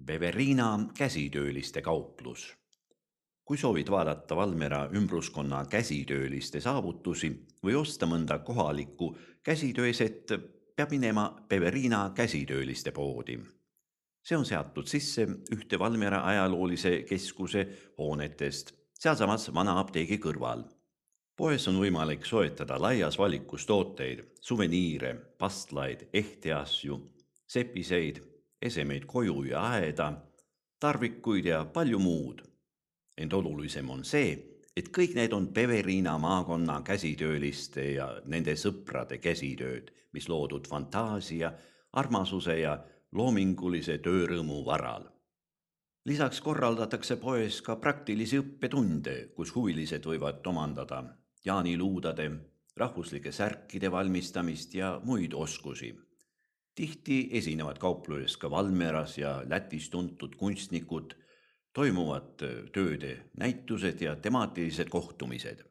Beveriina käsitööliste kauplus. Kui soovid vaadata Valmiera ümbruskonna käsitööliste saavutusi või osta mõnda kohalikku käsitööset, peab minema Beveriina käsitööliste poodi. See on seatud sisse ühte Valmiera ajaloolise keskuse hoonetest, sealsamas vana apteegi kõrval. Poes on võimalik soetada laias valikus tooteid, suveniire, pastlaid, ehteasju, sepiseid, esemeid koju ja aeda, tarvikuid ja palju muud. Ent olulisem on see, et kõik need on Beveriina maakonna käsitööliste ja nende sõprade käsitööd, mis loodud fantaasia, armasuse ja loomingulise töörõõmu varal. Lisaks korraldatakse poes ka praktilisi õppetunde, kus huvilised võivad omandada jaaniluudade, rahvuslike särkide valmistamist ja muid oskusi. Tihti esinevad kaupluses ka Valmieras ja Lätis tuntud kunstnikud, toimuvad tööde näitused ja temaatilised kohtumised.